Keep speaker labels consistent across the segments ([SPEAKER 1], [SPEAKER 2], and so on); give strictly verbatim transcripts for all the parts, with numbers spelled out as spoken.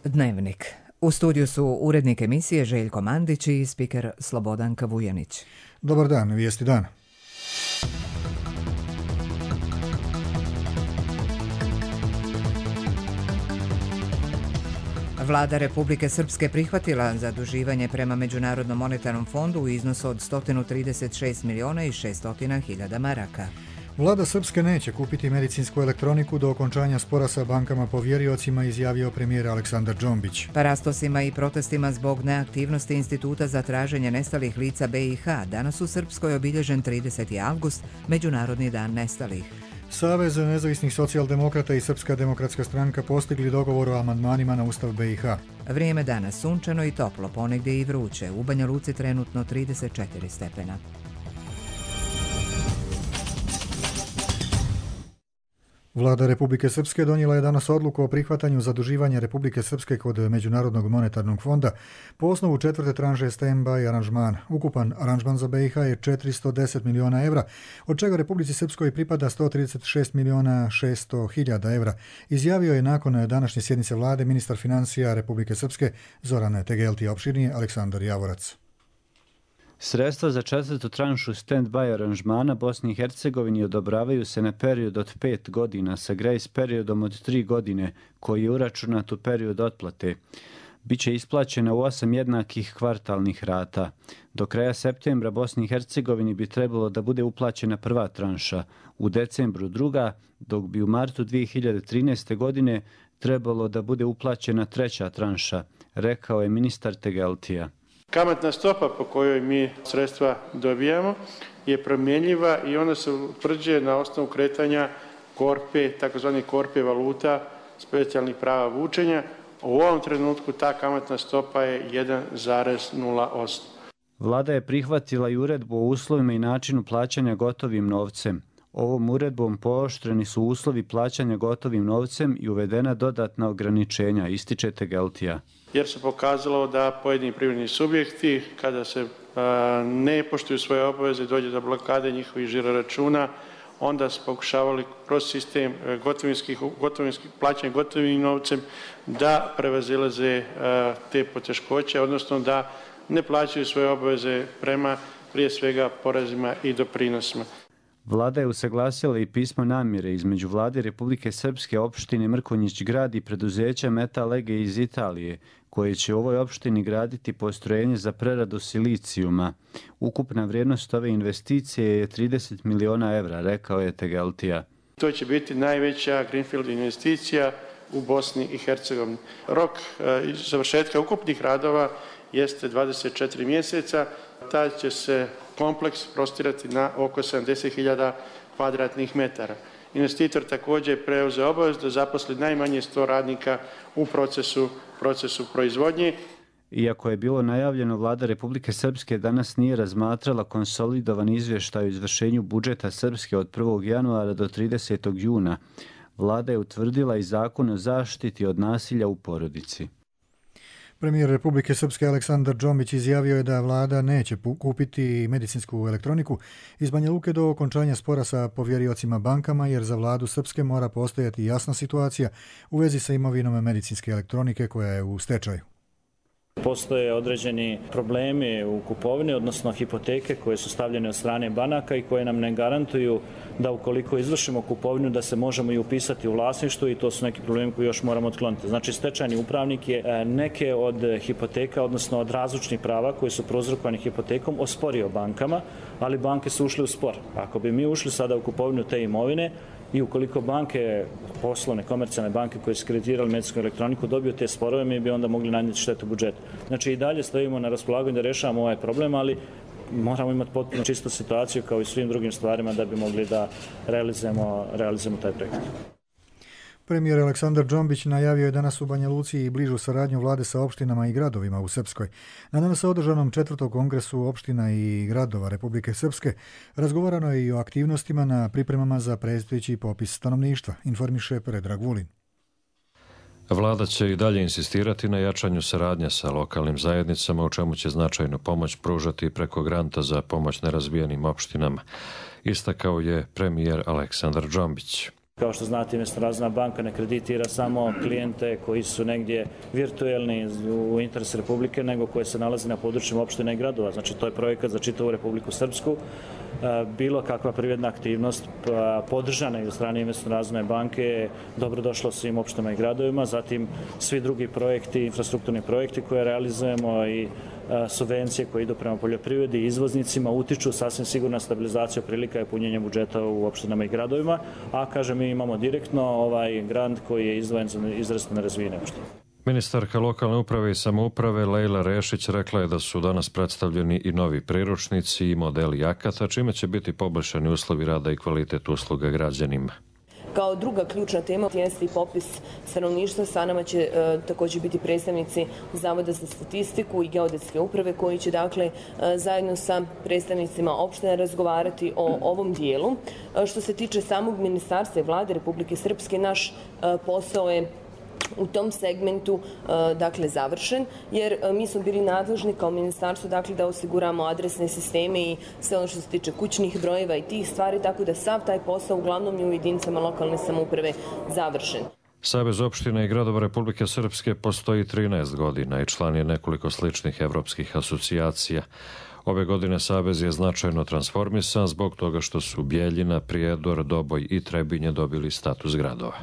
[SPEAKER 1] Dnevnik. U studiju su urednik emisije Željko Mandić i spiker Slobodanka Vujanić.
[SPEAKER 2] Dobar dan, vijesti dana.
[SPEAKER 1] Vlada Republike Srpske prihvatila zaduživanje prema Međunarodnom monetarnom fondu u iznosu od sto trideset šest miliona i šesto hiljada maraka.
[SPEAKER 2] Vlada Srpske neće kupiti medicinsku elektroniku do okončanja spora sa bankama povjeriocima, izjavio premijer Aleksandar Džombić.
[SPEAKER 1] Parastosima i protestima zbog neaktivnosti Instituta za traženje nestalih lica B i H danas u Srpskoj obilježen trideseti avgust, Međunarodni dan nestalih.
[SPEAKER 2] Savez nezavisnih socijaldemokrata i Srpska demokratska stranka postigli dogovor o amandmanima na Ustav B i H.
[SPEAKER 1] Vrijeme danas sunčano i toplo, ponegdje i vruće. U Banja Luci trenutno trideset četiri stepena.
[SPEAKER 2] Vlada Republike Srpske donijela je danas odluku o prihvatanju zaduživanja Republike Srpske kod Međunarodnog monetarnog fonda po osnovu četvrte tranše stand-by aranžmana. Ukupan aranžman za B i H je četiristo deset miliona evra, od čega Republici Srpskoj pripada sto trideset šest miliona šesto hiljada evra, izjavio je nakon današnje sjednice vlade ministar financija Republike Srpske Zoran Tegelti, opširnije Aleksandar Javorac.
[SPEAKER 3] Sredstva za četvrtu tranšu stand-by aranžmana Bosni i Hercegovini odobravaju se na period od pet godina sa grace periodom od tri godine koji je uračunat u period otplate. Biće isplaćena u osam jednakih kvartalnih rata. Do kraja septembra Bosni i Hercegovini bi trebalo da bude uplaćena prva tranša, u decembru druga, dok bi u martu dvije hiljade trinaeste. godine trebalo da bude uplaćena treća tranša, rekao je ministar Tegeltija.
[SPEAKER 4] Kamatna stopa po kojoj mi sredstva dobijamo je promjenjiva i ona se utvrđuje na osnovu kretanja korpe, takozvani korpe valuta, specijalnih prava vučenja. U ovom trenutku ta kamatna stopa je jedan zarez nula osam.
[SPEAKER 3] Vlada je prihvatila i uredbu o uslovima i načinu plaćanja gotovim novcem. Ovom uredbom pooštreni su uslovi plaćanja gotovim novcem i uvedena dodatna ograničenja, ističe Tegeltija.
[SPEAKER 4] Jer se pokazalo da pojedini privredni subjekti, kada se a, ne poštuju svoje obaveze, dođe do blokade njihovih žiroračuna, onda su pokušavali kroz sistem gotovinskih, gotovinskih plaćanja gotovim novcem da prevazilaze a, te poteškoće, odnosno da ne plaćaju svoje obaveze prema prije svega porezima i doprinosima.
[SPEAKER 3] Vlada je usaglasila i pismo namjere između Vlade Republike Srpske, opštine Mrkonjić Grad i preduzeća Metalege iz Italije, koje će u ovoj opštini graditi postrojenje za preradu silicijuma. Ukupna vrijednost ove investicije je trideset miliona evra, rekao je Tegeltija.
[SPEAKER 4] To će biti najveća greenfield investicija u Bosni i Hercegovini. Rok e, završetka ukupnih radova jeste dvadeset četiri mjeseca. Taj će se kompleks prostirati na oko sedamdeset hiljada kvadratnih metara. Investitor također preuzeo obavezu da zaposli najmanje sto radnika u procesu, procesu proizvodnje.
[SPEAKER 3] Iako je bilo najavljeno, Vlada Republike Srpske danas nije razmatrala konsolidovan izvještaj o izvršenju budžeta Srpske od prvog januara do tridesetog juna. Vlada je utvrdila i zakon o zaštiti od nasilja u porodici.
[SPEAKER 2] Premijer Republike Srpske Aleksandar Džombić izjavio je da vlada neće kupiti medicinsku elektroniku iz Banja Luke do okončanja spora sa povjeriocima bankama, jer za vladu Srpske mora postojati jasna situacija u vezi sa imovinom medicinske elektronike koja je u stečaju.
[SPEAKER 5] Postoje određeni problemi u kupovini, odnosno hipoteke koje su stavljene od strane banaka i koje nam ne garantuju da ukoliko izvršimo kupovinu da se možemo i upisati u vlasništvu, i to su neki problemi koji još moramo otkloniti. Znači, stečajni upravnik je neke od hipoteka, odnosno od razlučnih prava koji su prouzrokovani hipotekom, osporio bankama, ali banke su ušle u spor. Ako bi mi ušli sada u kupovinu te imovine, i ukoliko banke, poslovne, komercijalne banke koje su kreditirali medicinsku elektroniku dobiju te sporove, mi bi onda mogli nanijeti štetu budžetu. Znači, i dalje stojimo na raspolaganju da rešavamo ovaj problem, ali moramo imati potpuno čistu situaciju kao i svim drugim stvarima da bi mogli da realizujemo, realizujemo taj projekt.
[SPEAKER 2] Premijer Aleksandar Džombić najavio je danas u Banja Luci i bližu saradnju vlade sa opštinama i gradovima u Srpskoj. Na danas održanom četvrtom kongresu opština i gradova Republike Srpske razgovarano je i o aktivnostima na pripremama za predstojeći popis stanovništva, informiše Predrag Vulin.
[SPEAKER 6] Vlada će i dalje insistirati na jačanju saradnje sa lokalnim zajednicama, u čemu će značajnu pomoć pružati preko granta za pomoć nerazvijenim opštinama, istakao je premijer Aleksandar Džombić.
[SPEAKER 5] Kao što znate, Razvojna banka ne kreditira samo klijente koji su negdje virtuelni u interesu Republike, nego koji se nalazi na područjima opština i gradova. Znači, to je projekat za čitavu Republiku Srpsku. Bilo kakva privredna aktivnost podržana i od strane Razvojne banke je dobrodošla svim opštinama i gradovima. Zatim, svi drugi projekti, infrastrukturni projekti koje realizujemo i subvencije koje idu prema poljoprivredi i izvoznicima utiču sasvim sigurno na stabilizaciju prilika i punjenje budžeta u opštinama i gradovima, a kažem, mi imamo direktno ovaj grant koji je izdvojen za izrazito nerazvijene opštine.
[SPEAKER 6] Ministarka lokalne uprave i samouprave Lejla Rešić rekla je da su danas predstavljeni i novi priručnici i modeli akata, čime će biti poboljšani uslovi rada i kvalitet usluga građanima.
[SPEAKER 7] Kao druga ključna tema jeste i popis stanovništva. Sa nama će e, također biti predstavnici Zavoda za statistiku i geodetske uprave koji će dakle e, zajedno sa predstavnicima opština razgovarati o ovom dijelu. E, što se tiče samog ministarstva i vlade Republike Srpske, naš e, posao je u tom segmentu dakle završen, jer mi smo bili nadležni kao ministarstvo dakle da osiguramo adresne sisteme i sve ono što se tiče kućnih brojeva i tih stvari, tako da sav taj posao uglavnom je u jedinicama lokalne samouprave završen.
[SPEAKER 6] Savez opština i gradova Republike Srpske postoji trinaest godina i član je nekoliko sličnih evropskih asocijacija. Ove godine Savez je značajno transformisan zbog toga što su Bjeljina, Prijedor, Doboj i Trebinje dobili status gradova.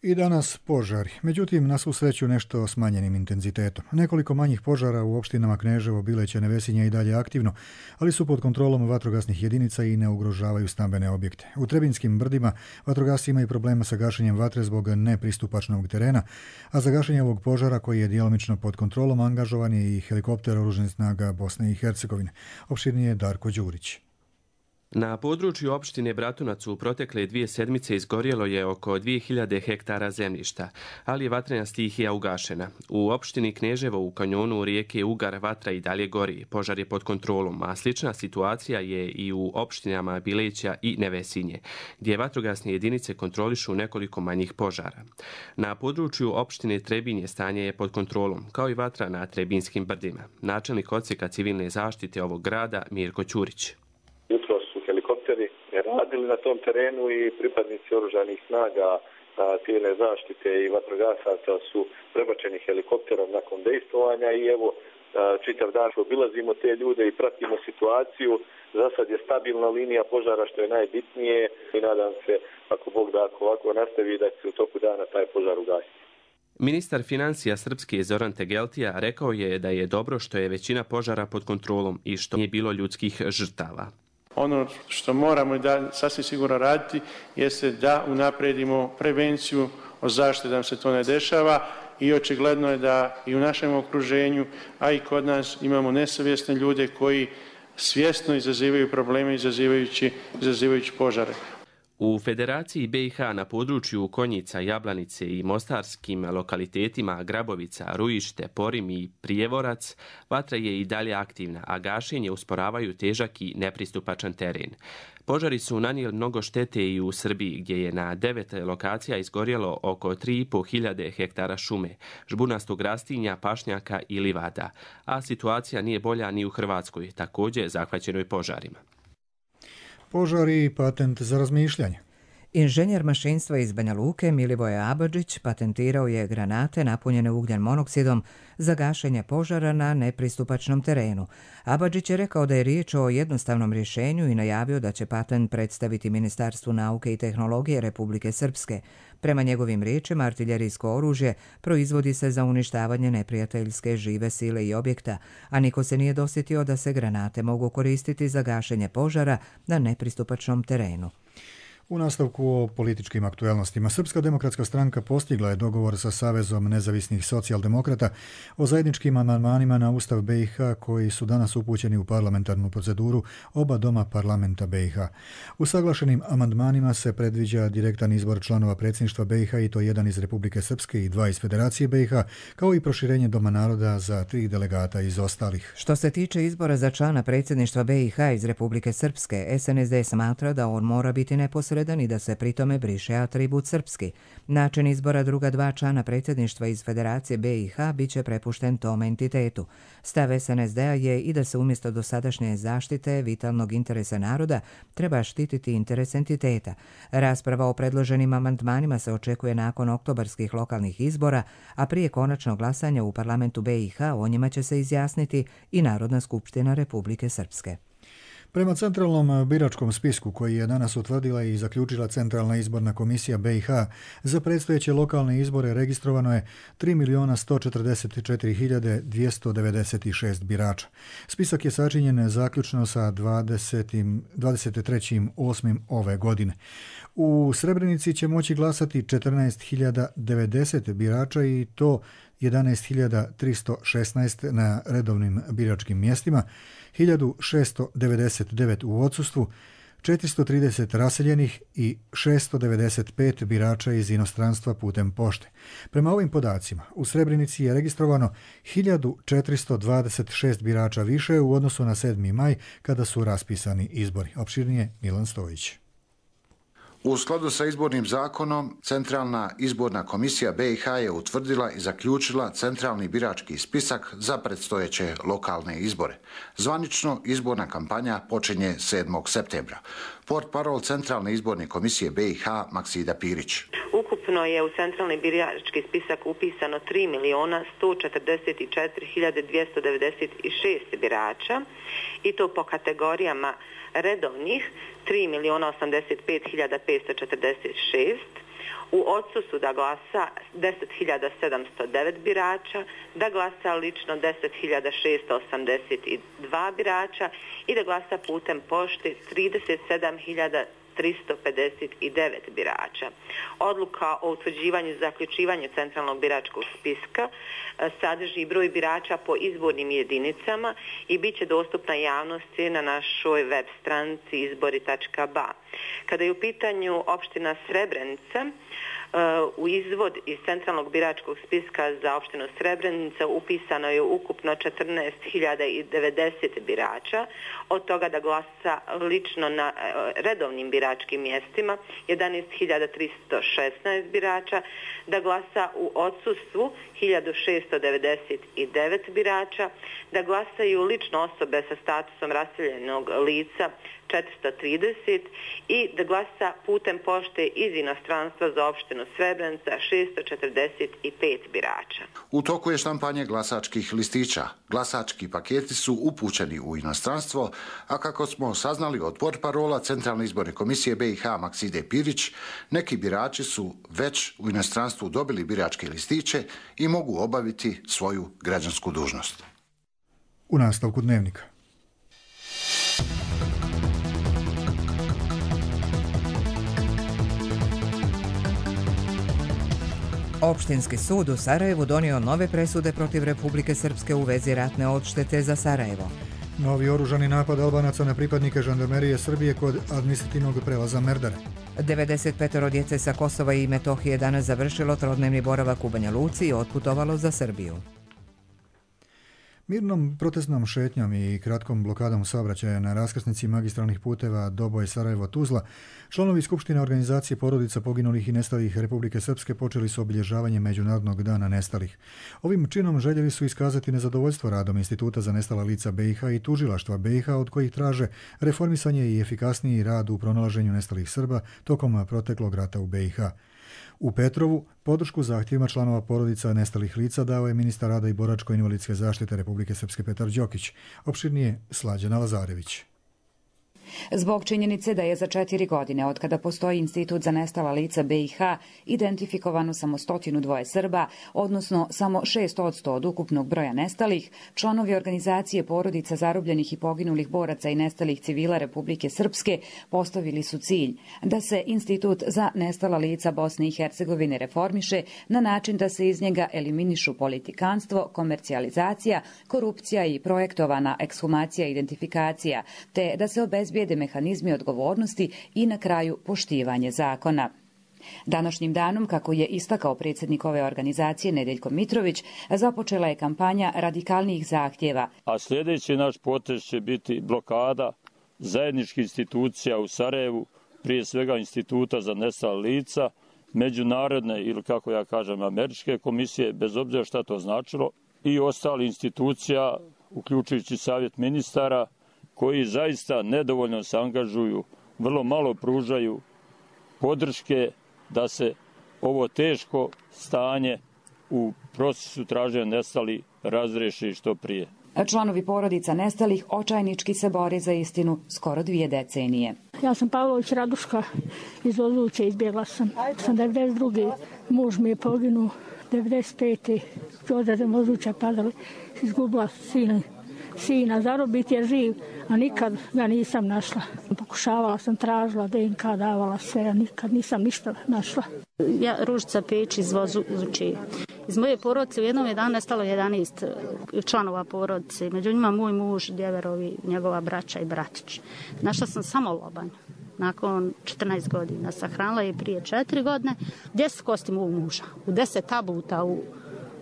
[SPEAKER 2] I danas požari, međutim na svu sreću nešto smanjenim intenzitetom. Nekoliko manjih požara u opštinama Kneževo, Bileće, Nevesinje i dalje aktivno, ali su pod kontrolom vatrogasnih jedinica i ne ugrožavaju stambene objekte. U Trebinskim brdima vatrogasci imaju problema sa gašenjem vatre zbog nepristupačnog terena, a za gašenje ovog požara koji je djelomično pod kontrolom angažovan je i helikopter oružanih snaga Bosne i Hercegovine. Opširnije Darko Đurić.
[SPEAKER 8] Na području opštine Bratunac u protekle dvije sedmice izgorjelo je oko dvije hiljade hektara zemljišta, ali je vatrena stihija ugašena. U opštini Kneževo u kanjonu rijeke Ugar vatra i dalje gori, požar je pod kontrolom, a slična situacija je i u opštinama Bileća i Nevesinje, gdje vatrogasne jedinice kontrolišu nekoliko manjih požara. Na području opštine Trebinje stanje je pod kontrolom, kao i vatra na Trebinskim brdima. Načelnik odsjeka civilne zaštite ovog grada Mirko Ćurić.
[SPEAKER 9] Radili na tom terenu i pripadnici oružanih snaga civilne zaštite i vatrogasaca su prebačeni helikopterom nakon dejstvovanja i evo čitav dan obilazimo te ljude i pratimo situaciju. Za sad je stabilna linija požara što je najbitnije i nadam se ako Bog da ako ovako nastavi da će u toku dana taj požar ugasiti.
[SPEAKER 8] Ministar financija Srpske Zoran Tegeltija rekao je da je dobro što je većina požara pod kontrolom i što nije bilo ljudskih žrtava.
[SPEAKER 4] Ono što moramo da sasvim sigurno raditi jeste da unapredimo prevenciju o zaštiti da nam se to ne dešava i očigledno je da i u našem okruženju, a i kod nas imamo nesavjesne ljude koji svjesno izazivaju probleme izazivajući, izazivajući požare.
[SPEAKER 8] U Federaciji B i H na području Konjica, Jablanice i mostarskim lokalitetima Grabovica, Rujište, Porim i Prijevorac vatra je i dalje aktivna, a gašenje usporavaju težak i nepristupačan teren. Požari su nanijeli mnogo štete i u Srbiji, gdje je na devet lokacija izgorjelo oko tri i pol hiljade hektara šume, žbunastog rastinja, pašnjaka i livada, a situacija nije bolja ni u Hrvatskoj, također zahvaćenoj požarima.
[SPEAKER 2] Požari i patent za razmišljanje.
[SPEAKER 1] Inženjer mašinstva iz Banja Luke Milivoje Abadžić patentirao je granate napunjene ugljen monoksidom za gašenje požara na nepristupačnom terenu. Abadžić je rekao da je riječ o jednostavnom rješenju i najavio da će patent predstaviti Ministarstvu nauke i tehnologije Republike Srpske. Prema njegovim riječima, artiljerijsko oružje proizvodi se za uništavanje neprijateljske žive sile i objekta, a niko se nije dosjetio da se granate mogu koristiti za gašenje požara na nepristupačnom terenu.
[SPEAKER 2] U nastavku o političkim aktuelnostima, Srpska demokratska stranka postigla je dogovor sa Savezom nezavisnih socijaldemokrata o zajedničkim amandmanima na Ustav B i H koji su danas upućeni u parlamentarnu proceduru oba doma parlamenta B i H. Usaglašenim amandmanima se predviđa direktan izbor članova predsjedništva B i H i to jedan iz Republike Srpske i dva iz Federacije B i H, kao i proširenje Doma naroda za tri delegata iz ostalih.
[SPEAKER 1] Što se tiče izbora za člana predsjedništva B i H iz Republike Srpske, S N S D smatra da on mora biti neposredan nepravedan i da se pritome briše atribut srpski. Način izbora druga dva člana predsjedništva iz Federacije B i H bit će prepušten tom entitetu. Stav S N S D-a je i da se umjesto dosadašnje zaštite vitalnog interesa naroda treba štititi interes entiteta. Rasprava o predloženim amandmanima se očekuje nakon oktobarskih lokalnih izbora, a prije konačnog glasanja u parlamentu B i H o njima će se izjasniti i Narodna skupština Republike Srpske.
[SPEAKER 2] Prema centralnom biračkom spisku koji je danas utvrdila i zaključila Centralna izborna komisija B i H, za predstojeće lokalne izbore registrovano je tri milijuna sto četrdeset četiri hiljade dvjesto devedeset šest birača. Spisak je sačinjen zaključno sa dvadeset trećeg osmog ove godine. U Srebrenici će moći glasati četrnaest hiljada devedeset birača i to jedanaest hiljada tristo šesnaest na redovnim biračkim mjestima, hiljadu šesto devedeset devet u odsustvu, četiristo trideset raseljenih i šesto devedeset pet birača iz inostranstva putem pošte. Prema ovim podacima, u Srebrenici je registrovano hiljadu četiristo dvadeset šest birača više u odnosu na sedmi maj kada su raspisani izbori. Opširnije Milan Stojić.
[SPEAKER 10] U skladu sa izbornim zakonom, Centralna izborna komisija B i H je utvrdila i zaključila centralni birački spisak za predstojeće lokalne izbore. Zvanično izborna kampanja počinje sedmog septembra. Portparol Centralne izborne komisije B i H Maksida Pirić.
[SPEAKER 11] Ukupno je u centralni birački spisak upisano tri milijuna sto četrdeset četiri hiljade dvjesto devedeset šest birača i to po kategorijama redovnih tri milijuna osamdeset pet hiljada petsto četrdeset šest, u odsustvu da glasa deset hiljada sedamsto devet birača, da glasa lično deset hiljada šesto osamdeset dva birača i da glasa putem pošte trideset sedam hiljada tristo pedeset devet birača. Odluka o utvrđivanju i zaključivanju centralnog biračkog spiska sadrži broj birača po izbornim jedinicama i bit će dostupna javnosti na našoj web stranici izbori tačka ba. Kada je u pitanju opština Srebrenica, u izvod iz centralnog biračkog spiska za opštinu Srebrenica upisano je ukupno četrnaest hiljada devedeset birača, od toga da glasa lično na redovnim biračkim mjestima jedanaest hiljada tristo šesnaest birača, da glasa u odsustvu hiljadu šesto devedeset devet birača, da glasaju lično osobe sa statusom raseljenog lica četiristo trideset i da glasa putem pošte iz inostranstva za opštinu Srebrenica šesto četrdeset pet birača.
[SPEAKER 10] U toku je štampanje glasačkih listića. Glasački paketi su upućeni u inostranstvo, a kako smo saznali od portparola Centralne izborne komisije B i H Makside Pirić, neki birači su već u inostranstvu dobili biračke listiće i mogu obaviti svoju građansku dužnost.
[SPEAKER 2] U nastavku dnevnika.
[SPEAKER 1] Opštinski sud u Sarajevu donio nove presude protiv Republike Srpske u vezi ratne odštete za Sarajevo.
[SPEAKER 2] Novi oružani napad Albanaca na pripadnike žandarmerije Srbije kod administrativnog prelaza Merdare.
[SPEAKER 1] devedeset pet djece sa Kosova i Metohije danas završilo trodnevni boravak u Banja Luci i otputovalo za Srbiju.
[SPEAKER 2] Mirnom protestnom šetnjom i kratkom blokadom saobraćaja na raskrsnici magistralnih puteva Doboj, Sarajevo, Tuzla, članovi Skupštine organizacije porodica poginulih i nestalih Republike Srpske počeli su obilježavanje Međunarodnog dana nestalih. Ovim činom željeli su iskazati nezadovoljstvo radom Instituta za nestala lica B i H i tužilaštva B i H, od kojih traže reformisanje i efikasniji rad u pronalaženju nestalih Srba tokom proteklog rata u B i H. U Petrovu podršku zahtjevima članova porodica nestalih lica dao je ministar rada i boračko-invalidske zaštite Republike Srpske Petar Đokić. Opširnije Slađana Lazarević.
[SPEAKER 12] Zbog činjenice da je za četiri godine od kada postoji Institut za nestala lica B i H identifikovano samo stotinu dvoje Srba, odnosno samo šest posto od ukupnog broja nestalih, članovi organizacije porodica zarobljenih i poginulih boraca i nestalih civila Republike Srpske postavili su cilj da se Institut za nestala lica Bosne i Hercegovine reformiše na način da se iz njega eliminišu politikanstvo, komercijalizacija, korupcija i projektovana ekshumacija i identifikacija, te da se obezbijede mehanizmi odgovornosti i na kraju poštivanje zakona. Današnjim danom, kako je istakao predsjednik ove organizacije Nedeljko Mitrović, započela je kampanja radikalnijih zahtjeva.
[SPEAKER 13] A sljedeći naš potez će biti blokada zajedničkih institucija u Sarajevu prije svega Instituta za nestala lica, međunarodne ili kako ja kažem američke komisije, bez obzira šta to značilo, i ostali institucija, uključujući Savjet ministara, koji zaista nedovoljno se angažuju, vrlo malo pružaju podrške da se ovo teško stanje u procesu traženja nestali razreši što prije.
[SPEAKER 12] Članovi porodica nestalih očajnički se bore za istinu skoro dvije decenije.
[SPEAKER 14] Ja sam Pavlović Raduška iz Ozluće, izbjegla sam. Sam devedeset druge muž mi je poginuo, devedeset pete odradem Ozluća padali, izgubila sina. Sina, zarobit je živ, a nikad ga nisam našla. Pokušavala sam, tražila D N K, davala sve, a nikad nisam ništa našla.
[SPEAKER 15] Ja, Ružica Peč iz Vozuće. Iz moje porodice u jednom je dan nestalo jedanaest članova porodice. Među njima moj muž, djeverovi, njegova braća i bratić. Našla sam samo lobanj. Nakon četrnaest godina. Sahranila je prije četiri godine. deset kosti mog muža. U deset tabuta u,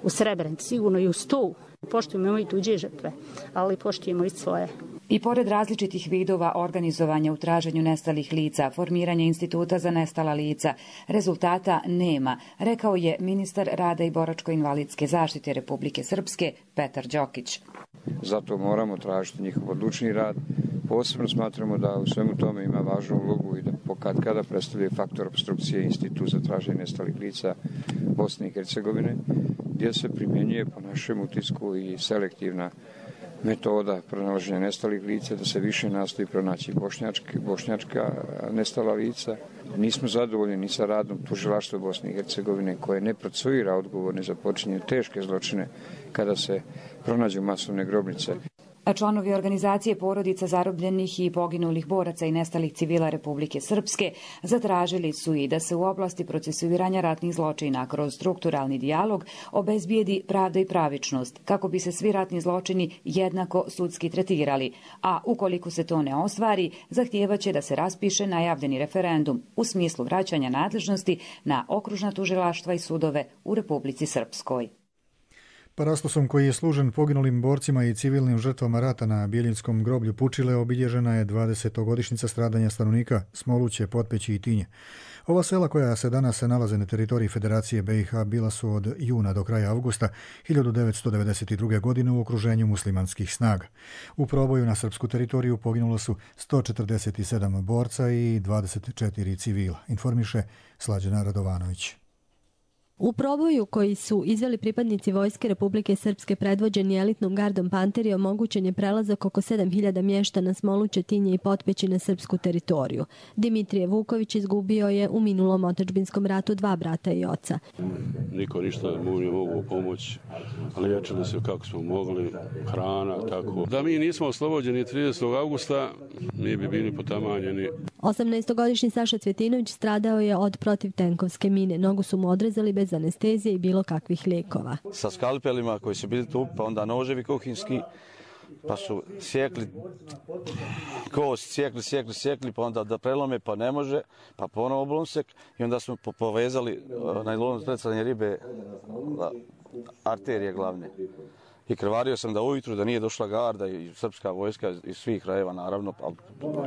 [SPEAKER 15] u Srebrenici, sigurno i u sto. Poštujemo i tuđe žrtve, ali poštujemo i svoje.
[SPEAKER 12] I pored različitih vidova organizovanja u traženju nestalih lica, formiranje Instituta za nestala lica, rezultata nema, rekao je ministar rada i boračko-invalidske zaštite Republike Srpske Petar Đokić.
[SPEAKER 16] Zato moramo tražiti njihov odlučni rad. Posebno smatramo da u svemu tome ima važnu ulogu i da pokad kada predstavlja faktor obstrukcije Institut za traženje nestalih lica Bosne i Hercegovine, gdje se primjenjuje po našem utisku i selektivna metoda pronalaženja nestalih lica, da se više nastoji pronaći bošnjačka nestala lica. Nismo zadovoljni ni sa radom tužilaštva Bosne i Hercegovine koje ne procesuira odgovorne za počinjenje teške zločine kada se pronađu masovne grobnice.
[SPEAKER 12] Članovi organizacije porodica zarobljenih i poginulih boraca i nestalih civila Republike Srpske zatražili su i da se u oblasti procesuiranja ratnih zločina kroz strukturalni dijalog obezbijedi pravda i pravičnost, kako bi se svi ratni zločini jednako sudski tretirali, a ukoliko se to ne ostvari, zahtijevaće da se raspiše najavljeni referendum u smislu vraćanja nadležnosti na okružna tužilaštva i sudove u Republici Srpskoj.
[SPEAKER 2] Parastosom koji je služen poginulim borcima i civilnim žrtvama rata na Biljinskom groblju Pučile obilježena je dvadesetogodišnjica stradanja stanovnika Smoluće, Potpeći i Tinje. Ova sela koja se danas nalaze na teritoriji Federacije B i H bila su od juna do kraja avgusta hiljadu devetsto devedeset druge. godine u okruženju muslimanskih snaga. U proboju na srpsku teritoriju poginulo su sto četrdeset sedam borca i dvadeset četiri civila, informiše Slađana Radovanović.
[SPEAKER 17] U proboju koji su izveli pripadnici Vojske Republike Srpske predvođeni elitnom gardom Panteri omogućen je prelazak oko sedam hiljada mještana Smoluće, Tinje i Potpeći na srpsku teritoriju. Dimitrije Vuković izgubio je u minulom otadžbinskom ratu dva brata i oca.
[SPEAKER 18] Niko ništa mu nije mogu pomoći, liječili se kako smo mogli, hrana, tako. Da mi nismo oslobođeni tridesetog avgusta, mi bi bili potamanjeni.
[SPEAKER 17] osamnaestogodišnji Saša Cvjetinović stradao je od protivtenkovske mine. Nogu su mu odrezali bez anestezije i bilo kakvih lijekova.
[SPEAKER 19] Sa skalpelima koji su bili tu, pa onda noževi kuhinski, pa su sjekli kost, sjekli, sjekli, sjekli, pa onda da prelome, pa ne može, pa ponovo oblomsek i onda smo povezali najlon strecanje ribe, arterije glavne. I krvario sam da ujutru, da nije došla garda i srpska vojska iz svih krajeva, naravno,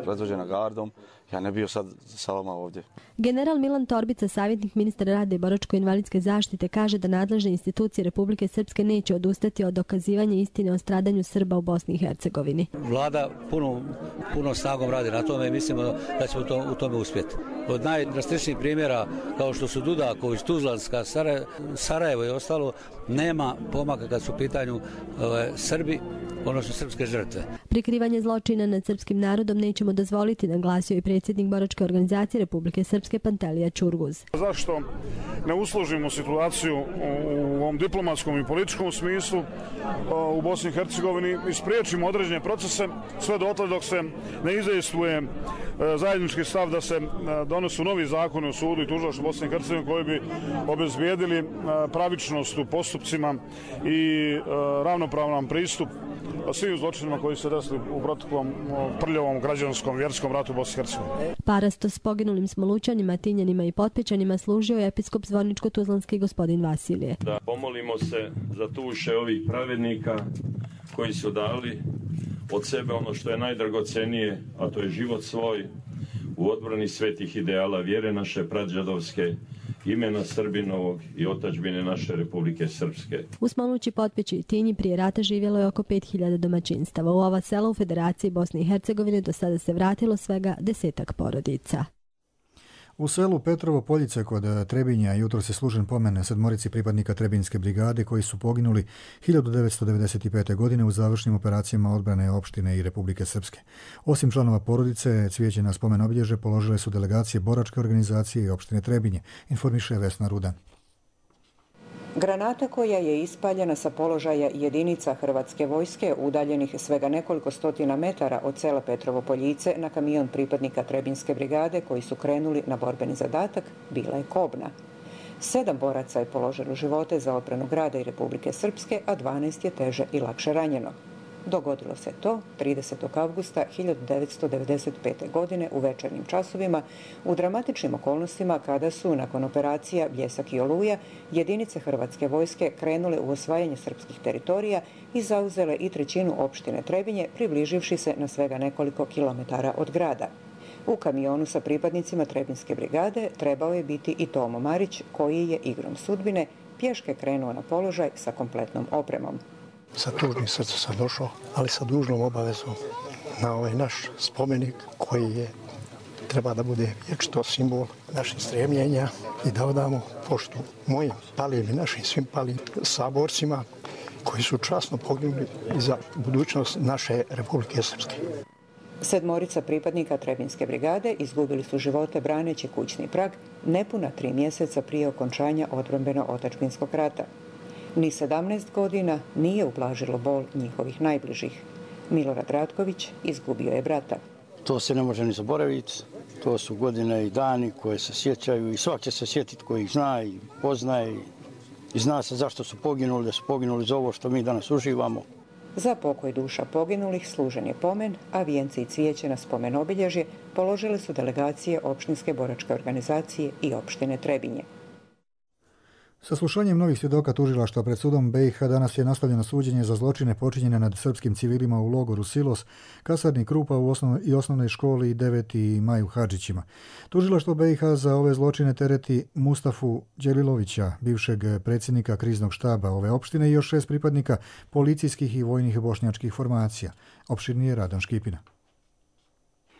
[SPEAKER 19] predvođena gardom, ja ne bio sad sa vama ovdje.
[SPEAKER 17] General Milan Torbica, savjetnik ministra rada i boračko-invalidske zaštite, kaže da nadležne institucije Republike Srpske neće odustati od dokazivanja istine o stradanju Srba u Bosni i Hercegovini.
[SPEAKER 20] Vlada puno, puno snagom radi na tome i mislimo da ćemo to, u tome uspjeti. Od najdrastičnijih primjera, kao što su Dudaković, Tuzlanska, Sarajevo i ostalo, nema pomaka kad su u pitanju ove, Srbi, odnosno srpske žrtve.
[SPEAKER 17] Prikrivanje zločina nad srpskim narodom nećemo dozvoliti, naglasio i predsjednik boračke organizacije Republike Srpske Pantelija Čurguz.
[SPEAKER 21] Zašto ne usložimo situaciju u ovom diplomatskom i političkom smislu u Bosni i Hercegovini i spriječimo određene procese sve dotle dok se ne izdejstvuje zajednički stav da se donesu novi zakoni o sudu i tužilaštvu Bosne i Hercegovine koji bi obezbijedili pravičnost u postupcima i ravnopravan pristup svim zločinima koji se desili u proteklom prljavom građanskom vjerskom ratu u Bosni i Hercegovini.
[SPEAKER 17] Parasto s poginulim Smolućanima, Tinjanima i Potpećanima služio je episkop Zvorničko-Tuzlanski gospodin Vasilije.
[SPEAKER 22] Da pomolimo se za duše ovih pravednika koji su dali od sebe ono što je najdragocenije, a to je život svoj, u odbrani svetih ideala vjere naše prađadovske, imena Srbinovog i otačbine naše Republike Srpske.
[SPEAKER 17] U Smolući, Potpeći i Tinji prije rata živjelo je oko pet hiljada domaćinstava. U ova sela u Federaciji Bosne i Hercegovine do sada se vratilo svega desetak porodica.
[SPEAKER 2] U selu Petrovo Poljice kod Trebinja jutro se služen pomen sedmorici pripadnika Trebinjske brigade koji su poginuli hiljadu devetsto devedeset pete. godine u završnim operacijama odbrane opštine i Republike Srpske. Osim članova porodice, cvijeće na spomen obilježe položile su delegacije boračke organizacije i opštine Trebinje, informiše Vesna Rudan.
[SPEAKER 3] Granata koja je ispaljena sa položaja jedinica Hrvatske vojske udaljenih svega nekoliko stotina metara od sela Petrovo Poljice na kamion pripadnika Trebinjske brigade koji su krenuli na borbeni zadatak bila je kobna. Sedam boraca je položilo živote za odbranu grada i Republike Srpske, a dvanaest je teže i lakše ranjeno. Dogodilo se to tridesetog avgusta hiljadu devetsto devedeset pete. godine u večernjim časovima u dramatičnim okolnostima kada su nakon operacija Bljesak i Oluja jedinice Hrvatske vojske krenule u osvajanje srpskih teritorija i zauzele i trećinu opštine Trebinje, približivši se na svega nekoliko kilometara od grada. U kamionu sa pripadnicima Trebinjske brigade trebao je biti i Tomo Marić, koji je igrom sudbine pješke krenuo na položaj sa kompletnom opremom.
[SPEAKER 5] Sa tužnim srcem sam došao, ali sa dužnom obavezom na ovaj naš spomenik koji je treba da bude vječito simbol naših stremljenja i da odamo poštu mojim palim i našim svim palim saborcima koji su časno poginuli za budućnost naše Republike Srpske.
[SPEAKER 3] Sedmorica pripadnika Trebinjske brigade izgubili su živote braneći kućni prag nepuna tri mjeseca prije okončanja odbrambeno-otadžbinskog rata. Ni sedamnaest godina nije ublažilo bol njihovih najbližih. Milorad Ratković izgubio je brata.
[SPEAKER 23] To se ne može ni zaboraviti. To su godine i dani koje se sjećaju i svak će se sjetiti koji ih zna i poznaje i zna se zašto su poginuli, da su poginuli za ovo što mi danas uživamo.
[SPEAKER 3] Za pokoj duša poginulih služen je pomen, a vijenci i cvijeće na spomen obilježje položile su delegacije opštinske boračke organizacije i opštine Trebinje.
[SPEAKER 2] Saslušanjem novih svjedoka tužilaštva pred sudom B i H danas je nastavljeno suđenje za zločine počinjene nad srpskim civilima u logoru Silos, kasarni Krupa u osnov, i osnovnoj školi i deveti maj u Hadžićima. Tužilaštvo B i H za ove zločine tereti Mustafu Đelilovića, bivšeg predsjednika kriznog štaba ove opštine i još šest pripadnika policijskih i vojnih bošnjačkih formacija. Opširnije Radan Škipina.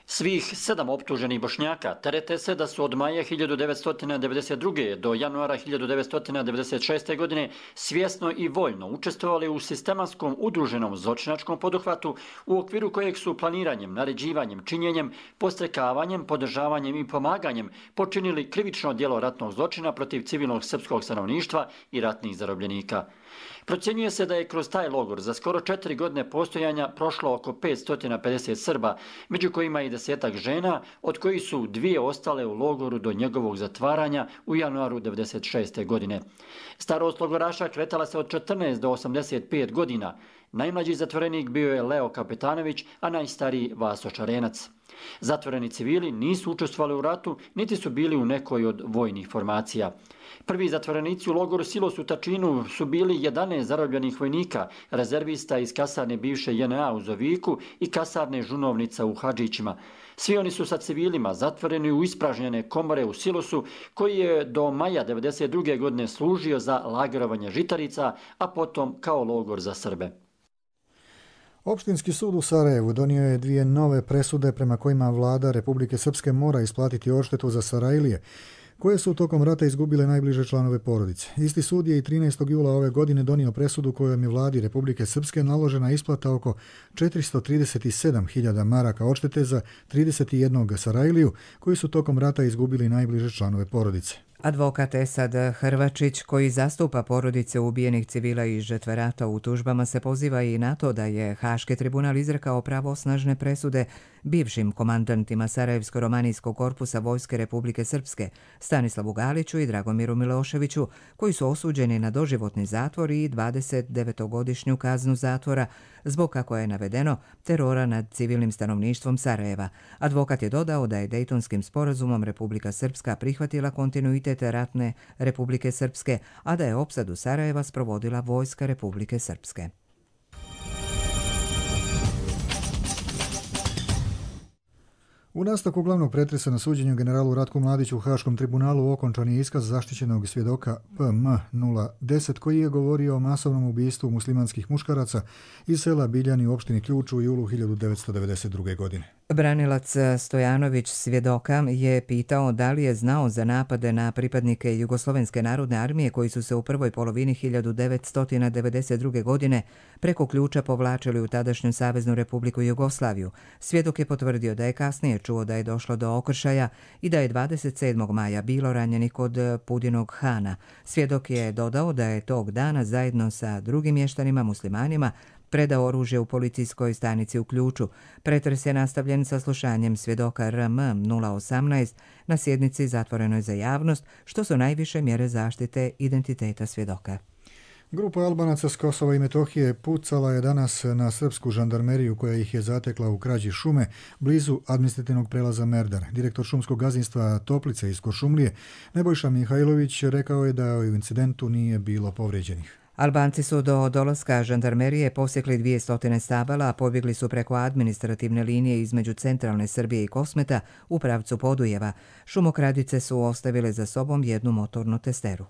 [SPEAKER 24] Svih sedam optuženih Bošnjaka terete se da su od maja hiljadu devetsto devedeset druge. do januara hiljadu devetsto devedeset šeste. godine svjesno i voljno učestvovali u sistematskom udruženom zločinačkom poduhvatu u okviru kojeg su planiranjem, naređivanjem, činjenjem, podstrekavanjem, podržavanjem i pomaganjem počinili krivično djelo ratnog zločina protiv civilnog srpskog stanovništva i ratnih zarobljenika. Procjenjuje se da je kroz taj logor za skoro četiri godine postojanja prošlo oko petsto pedeset Srba, među kojima i desetak žena, od kojih su dvije ostale u logoru do njegovog zatvaranja u januaru devedeset šeste. godine. Starost logoraša kretala se od četrnaest do osamdeset pet godina. Najmlađi zatvorenik bio je Leo Kapetanović, a najstariji Vaso Čarenac. Zatvoreni civili nisu učestvovali u ratu, niti su bili u nekoj od vojnih formacija. Prvi zatvorenici u logoru Silos u Tačinu su bili jedanaest zarobljenih vojnika, rezervista iz kasarne bivše J N A u Zoviku i kasarne Žunovnica u Hadžićima. Svi oni su sa civilima zatvoreni u ispražnjene komore u Silosu, koji je do maja devedeset druge. godine služio za lagerovanje žitarica, a potom kao logor za Srbe.
[SPEAKER 2] Opštinski sud u Sarajevu donio je dvije nove presude prema kojima vlada Republike Srpske mora isplatiti odštetu za Sarajlije, koje su tokom rata izgubile najbliže članove porodice. Isti sud je i trinaestog jula ove godine donio presudu kojom je vladi Republike Srpske naložena isplata oko četiristo trideset sedam hiljada maraka odštete za trideset jedan Sarajliju, koji su tokom rata izgubili najbliže članove porodice.
[SPEAKER 1] Advokat Esad Hrvačić, koji zastupa porodice ubijenih civila i žrtve rata u tužbama, se poziva i na to da je Haški tribunal izrekao pravosnažne presude bivšim komandantima Sarajevsko-romanijskog korpusa Vojske Republike Srpske, Stanislavu Galiću i Dragomiru Miloševiću, koji su osuđeni na doživotni zatvor i dvadesetdevetogodišnju kaznu zatvora zbog, kako je navedeno, terora nad civilnim stanovništvom Sarajeva. Advokat je dodao da je Dejtonskim sporazumom Republika Srpska prihvatila kontinuitet ratne Republike Srpske, a da je opsadu Sarajeva sprovodila Vojska Republike Srpske.
[SPEAKER 2] U nastavku glavnog pretresa na suđenju generalu Ratku Mladiću u Haškom tribunalu okončan je iskaz zaštićenog svjedoka P M nula deset koji je govorio o masovnom ubistvu muslimanskih muškaraca iz sela Biljani u opštini Ključ u julu hiljadu devetsto devedeset druge. godine.
[SPEAKER 1] Branilac Stojanović svjedoka je pitao da li je znao za napade na pripadnike Jugoslovenske narodne armije koji su se u prvoj polovini hiljadu devetsto devedeset druge. godine preko Ključa povlačili u tadašnju Saveznu Republiku Jugoslaviju. Svjedok je potvrdio da je kasnije čuo da je došlo do okršaja i da je dvadeset sedmog maja bilo ranjenih kod Pudinog Hana. Svjedok je dodao da je tog dana zajedno sa drugim mještanima muslimanima predao oružje u policijskoj stanici u Ključu. Pretres je nastavljen saslušanjem svjedoka R M nula osamnaest na sjednici zatvorenoj za javnost, što su najviše mjere zaštite identiteta svjedoka.
[SPEAKER 2] Grupa Albanaca s Kosova i Metohije pucala je danas na srpsku žandarmeriju koja ih je zatekla u krađi šume blizu administrativnog prelaza Merdar. Direktor šumskog gazdinstva Toplice iz Kuršumlije, Nebojša Mihajlović, rekao je da u incidentu nije bilo povrijeđenih.
[SPEAKER 1] Albanci su do dolaska žandarmerije posjekli dvije stotine stabala, a pobjegli su preko administrativne linije između centralne Srbije i Kosmeta u pravcu Podujeva. Šumokradice su ostavile za sobom jednu motornu testeru.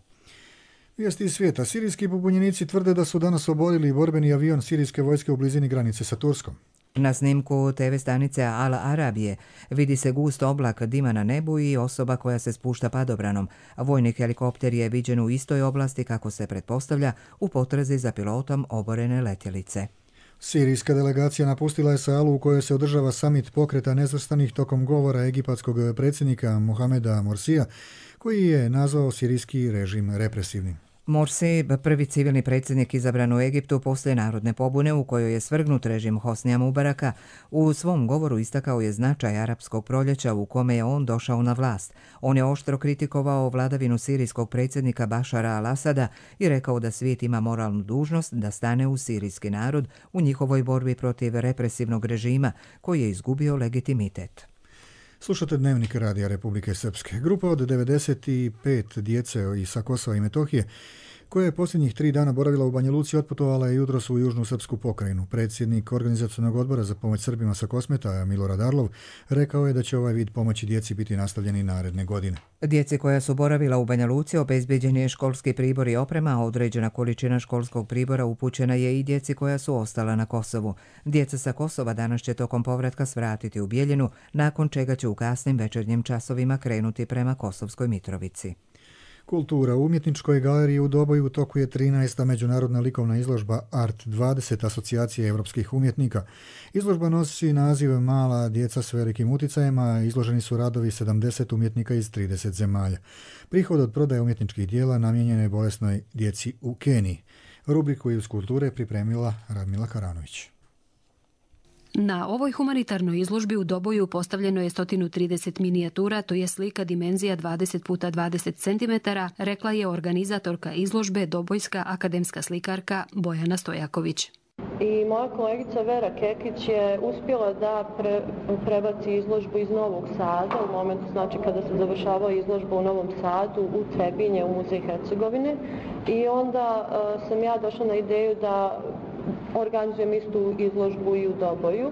[SPEAKER 2] Vijesti iz svijeta. Sirijski pobunjenici tvrde da su danas oborili borbeni avion sirijske vojske u blizini granice sa Turskom.
[SPEAKER 1] Na snimku te ve stanice Al Arabije vidi se gust oblak dima na nebu i osoba koja se spušta padobranom. Vojni helikopter je viđen u istoj oblasti, kako se pretpostavlja, u potrazi za pilotom oborene letjelice.
[SPEAKER 2] Sirijska delegacija napustila je salu u kojoj se održava samit pokreta nezvrstanih tokom govora egipatskog predsjednika Mohameda Morsija, koji je nazvao sirijski režim represivnim.
[SPEAKER 1] Morsi, prvi civilni predsjednik izabran u Egiptu poslije narodne pobune u kojoj je svrgnut režim Hosnija Mubaraka, u svom govoru istakao je značaj arapskog proljeća u kome je on došao na vlast. On je oštro kritikovao vladavinu sirijskog predsjednika Bašara al-Asada i rekao da svijet ima moralnu dužnost da stane uz sirijski narod u njihovoj borbi protiv represivnog režima koji je izgubio legitimitet.
[SPEAKER 2] Slušate Dnevnik Radija Republike Srpske. Grupa od devedeset pet djece i sa Kosova i Metohije, koja je posljednjih tri dana boravila u Banja Luci, otputovala je jutros u južnu srpsku pokrajinu. Predsjednik Organizacionog odbora za pomoć Srbima sa Kosmeta, Milorad Arlov, rekao je da će ovaj vid pomoći djeci biti nastavljeni naredne godine.
[SPEAKER 1] Djeci koja su boravila u Banja Luci obezbeđen je školski pribor i oprema, a određena količina školskog pribora upućena je i djeci koja su ostala na Kosovu. Djeca sa Kosova danas će tokom povratka svratiti u Bijeljinu, nakon čega će u kasnim večernjim časovima krenuti prema Kosovskoj Mitrovici.
[SPEAKER 2] Kultura. U umjetničkoj galeriji u Doboju u toku je trinaesta međunarodna likovna izložba Art dvadeset Asocijacije evropskih umjetnika. Izložba nosi naziv Mala djeca s velikim uticajima, izloženi su radovi sedamdeset umjetnika iz trideset zemalja. Prihod od prodaje umjetničkih dijela namijenjen je bolesnoj djeci u Keniji. Rubriku iz kulture pripremila Radmila Karanović.
[SPEAKER 4] Na ovoj humanitarnoj izložbi u Doboju postavljeno je sto trideset minijatura, to je slika dimenzija dvadeset puta dvadeset centimetara, rekla je organizatorka izložbe Dobojska akademska slikarka Bojana Stojaković.
[SPEAKER 6] I moja kolegica Vera Kekić je uspjela da pre, prebaci izložbu iz Novog Sada u momentu, znači kada se završava izložba u Novom Sadu, u Trebinje, u Muzej Hercegovine. I onda uh, sam ja došla na ideju da organizujem istu izložbu i u Doboju.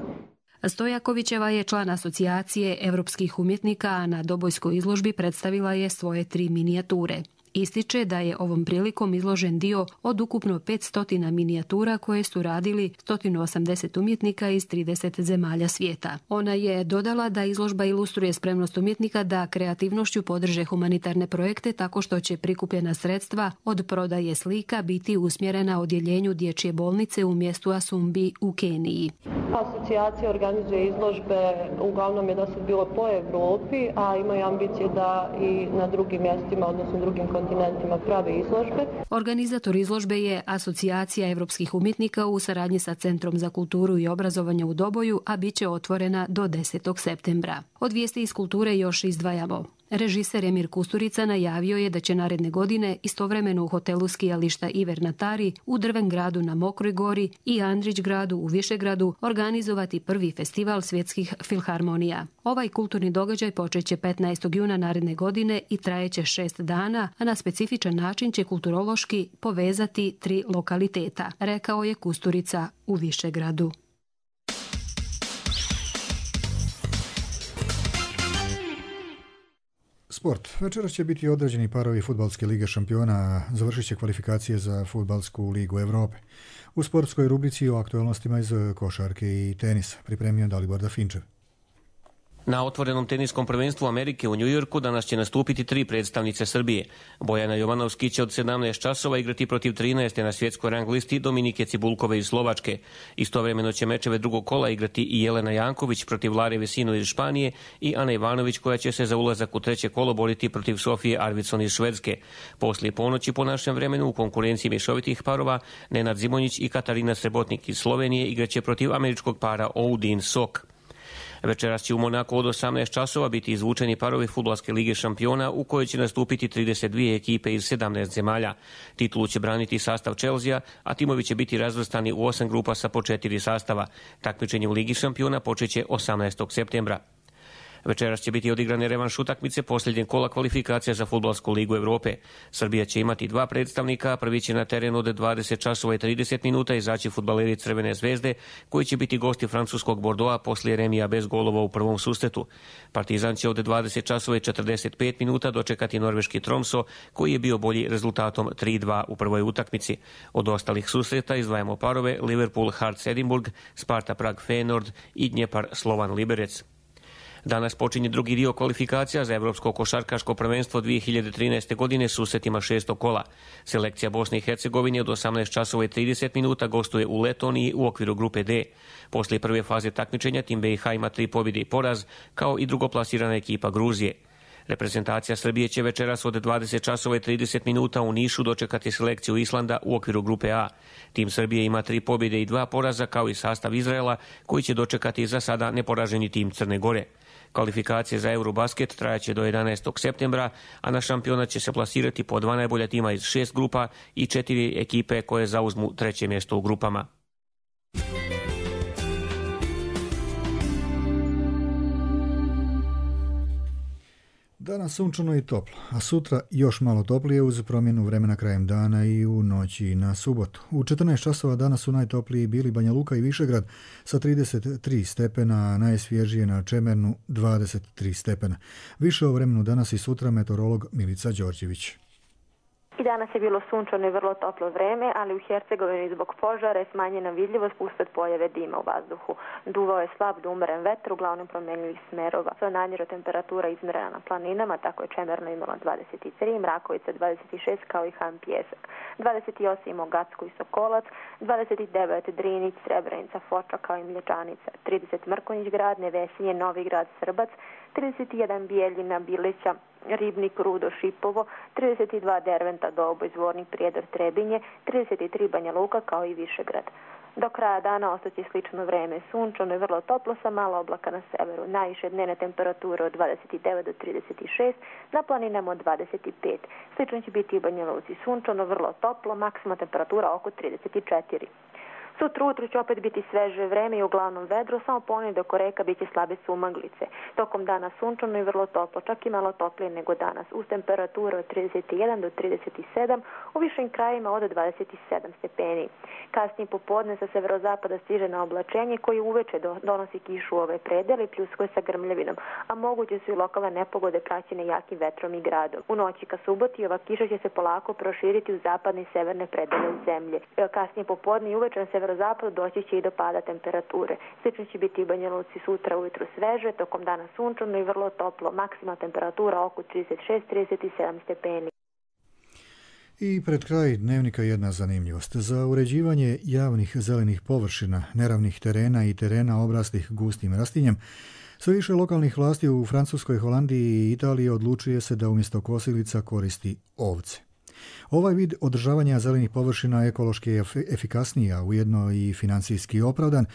[SPEAKER 4] Stojakovićeva je član asocijacije evropskih umjetnika, a na Dobojskoj izložbi predstavila je svoje tri minijature. Ističe da je ovom prilikom izložen dio od ukupno petsto minijatura koje su radili sto osamdeset umjetnika iz trideset zemalja svijeta. Ona je dodala da izložba ilustruje spremnost umjetnika da kreativnošću podrže humanitarne projekte tako što će prikupljena sredstva od prodaje slika biti usmjerena odjeljenju dječje bolnice u mjestu Asumbi u Keniji.
[SPEAKER 6] Asocijacija organizuje izložbe, uglavnom je do sad bilo po Evropi, a imaju ambicije da i na drugim mjestima, odnosno drugim kontinentima prave izložbe.
[SPEAKER 4] Organizator izložbe je Asocijacija evropskih umjetnika u saradnji sa Centrom za kulturu i obrazovanje u Doboju, a bit će otvorena do desetog septembra. Od vijesti iz kulture još izdvajamo. Režiser Emir Kusturica najavio je da će naredne godine istovremeno u hotelu skijališta Iver na Tari, u Drvengradu na Mokroj gori i Andrićgradu u Višegradu organizovati prvi festival svjetskih filharmonija. Ovaj kulturni događaj počeće petnaestog juna naredne godine i trajeće šest dana, a na specifičan način će kulturološki povezati tri lokaliteta, rekao je Kusturica u Višegradu.
[SPEAKER 2] Sport. Večeras će biti određeni parovi fudbalske lige šampiona, a završit će kvalifikacije za fudbalsku ligu Evrope. U sportskoj rubrici o aktualnostima iz košarke i tenisa pripremio Dalibor Dafinčev.
[SPEAKER 7] Na otvorenom teniskom prvenstvu Amerike u Njujorku danas će nastupiti tri predstavnice Srbije. Bojana Jovanovski će od sedamnaest časova igrati protiv trinaeste na svjetskoj rang listi Dominike Cibulkove iz Slovačke. Istovremeno će mečeve drugog kola igrati i Jelena Janković protiv Lare Vesino iz Španije i Ana Ivanović koja će se za ulazak u treće kolo boriti protiv Sofije Arvidsson iz Švedske. Poslije ponoći po našem vremenu u konkurenciji mješovitih parova Nenad Zimonjić i Katarina Srebotnik iz Slovenije igraće protiv američkog para Oudin Sok. Večeras će u Monaku od osamnaest časova biti izvučeni parovi fudbalske lige šampiona u kojoj će nastupiti trideset dvije ekipe iz sedamnaest zemalja. Titulu će braniti sastav Chelsea, a timovi će biti razvrstani u osam grupa sa po četiri sastava. Takmičenje u Ligi šampiona počeće osamnaestog septembra. Večeras će biti odigrane revanš utakmice posljednjeg kola kvalifikacija za fudbalsku ligu Evrope. Srbija će imati dva predstavnika, prvi će na terenu od dvadeset časova i trideset minuta izaći fudbaleri Crvene zvezde, koji će biti gosti francuskog Bordeauxa poslije remija bez golova u prvom susretu. Partizan će od dvadeset časova i četrdeset pet minuta dočekati norveški Tromso, koji je bio bolji rezultatom tri dva u prvoj utakmici. Od ostalih susreta izdvajamo parove Liverpool Hearts Edinburgh, Sparta Prag Feyenoord i Dnjepar Slovan Liberec. Danas počinje drugi dio kvalifikacija za Evropsko košarkaško prvenstvo dvije hiljade trinaeste. godine s susretima šestog kola. Selekcija Bosne i Hercegovine od osamnaest časova i trideset minuta gostuje u Letoniji u okviru grupe D. Poslije prve faze takmičenja tim B i H ima tri pobjede i poraz, kao i drugoplasirana ekipa Gruzije. Reprezentacija Srbije će večeras od dvadeset časova i trideset minuta u Nišu dočekati selekciju Islanda u okviru grupe A. Tim Srbije ima tri pobjede i dva poraza, kao i sastav Izraela, koji će dočekati za sada neporaženi tim Crne Gore. Kvalifikacije za Eurobasket trajaće do jedanaestog septembra, a na šampionat će se plasirati po dva najbolja tima iz šest grupa i četiri ekipe koje zauzmu treće mjesto u grupama.
[SPEAKER 2] Danas sunčano i toplo, a sutra još malo toplije uz promjenu vremena krajem dana i u noći na subotu. U četrnaest časova danas su najtopliji bili Banja Luka i Višegrad sa trideset tri stepena, a najsvježije na Čemernu dvadeset tri stepena. Više o vremenu danas i sutra meteorolog Milica Đorđević.
[SPEAKER 8] I danas je bilo sunčano i vrlo toplo vreme, ali u Hercegovini zbog požara je smanjena vidljivost usled pojave dima u vazduhu. Duvao je slab do umeren vetar, uglavnom promjenjivih smerova. Sva namjera temperatura izmjerena na planinama, tako je Čemerno imalo dvadeset tri, Mrakovica dvadeset šest kao i Han Pjesak. dvadeset osam imao Gacko i Sokolac, dvadeset devet Drinić, Srebrenica, Foča kao i Mlječanica, trideset Mrkonjić grad, Nevesinje, Novi grad, Srbac, trideset jedan Bijeljina, Bileća, Ribnik, Rudo, Šipovo, trideset dva Derventa, Doboj, Zvornik, Prijedor, Trebinje, trideset tri Banja Luka kao i Višegrad. Do kraja dana ostaće slično vreme, sunčano i vrlo toplo sa malo oblaka na severu. Najviše dnevne temperature od dvadeset devet do trideset šest, na planinama od dvadeset pet. Slično će biti i u Banja Luci, sunčano, vrlo toplo, maksimalna temperatura oko trideset četiri. Sutra ujutru će opet biti sveže vreme i uglavnom vedro, samo ponedjeljak oko reka biće slabe sumaglice. Tokom dana sunčano i vrlo toplo, čak i malo toplije nego danas, uz temperature od trideset jedan do trideset sedam, u višim krajima od dvadeset sedam stepeni. Kasnije popodne sa severozapada stiže na oblačenje koji uveče donosi kišu u ove predele i pljuskuje sa grmljavinom, a moguće su i lokalne nepogode praćene jakim vetrom i gradom. U noći ka suboti ova kiša će se polako proširiti u zapadne i severne predele zemlje. Kasnije popodne i uveče na severozapadu doći će i do pada temperature. Slično će biti i u Banja Luci sutra ujutru sveže, tokom dana sunčano i vrlo toplo, maksimalna temperatura oko trideset šest do trideset sedam stepeni.
[SPEAKER 2] I pred kraj dnevnika jedna zanimljivost. Za uređivanje javnih zelenih površina, neravnih terena i terena obraslih gustim rastinjem, sve više lokalnih vlasti u Francuskoj, Holandiji i Italiji odlučuje se da umjesto kosilica koristi ovce. Ovaj vid održavanja zelenih površina ekološki je efikasniji, a ujedno i financijski opravdan,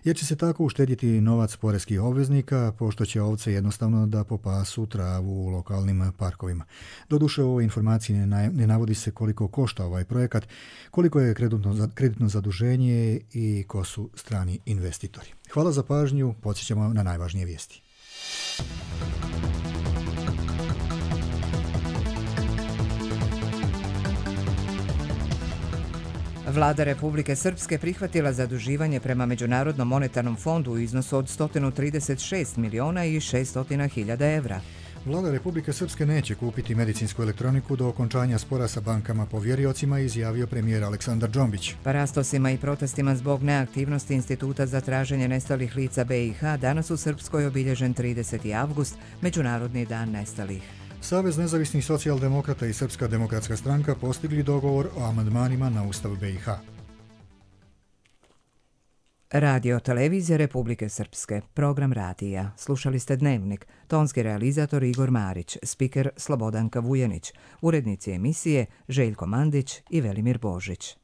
[SPEAKER 2] jer će se tako uštedjeti novac poreskih obveznika, pošto će ovce jednostavno da popasu travu u lokalnim parkovima. Doduše, u ovoj informaciji ne navodi se koliko košta ovaj projekat, koliko je kreditno, kreditno zaduženje i ko su strani investitori. Hvala za pažnju, podsjećamo na najvažnije vijesti.
[SPEAKER 1] Vlada Republike Srpske prihvatila zaduživanje prema Međunarodnom monetarnom fondu u iznosu od sto trideset šest miliona i šesto hiljada evra.
[SPEAKER 2] Vlada Republike Srpske neće kupiti medicinsku elektroniku do okončanja spora sa bankama povjeriocima, izjavio premijer Aleksandar Džombić.
[SPEAKER 1] Parastosima i protestima zbog neaktivnosti Instituta za traženje nestalih lica B i H danas u Srpskoj obilježen trideseti avgust, Međunarodni dan nestalih.
[SPEAKER 2] Savez nezavisnih socijaldemokrata i Srpska demokratska stranka postigli dogovor o amandmanima na Ustav B i H.
[SPEAKER 1] Radio Televizija Republike Srpske, program radija. Slušali ste Dnevnik, tonski realizator Igor Marić, spiker Slobodanka Vujanić, urednici emisije Željko Mandić i Velimir Božić.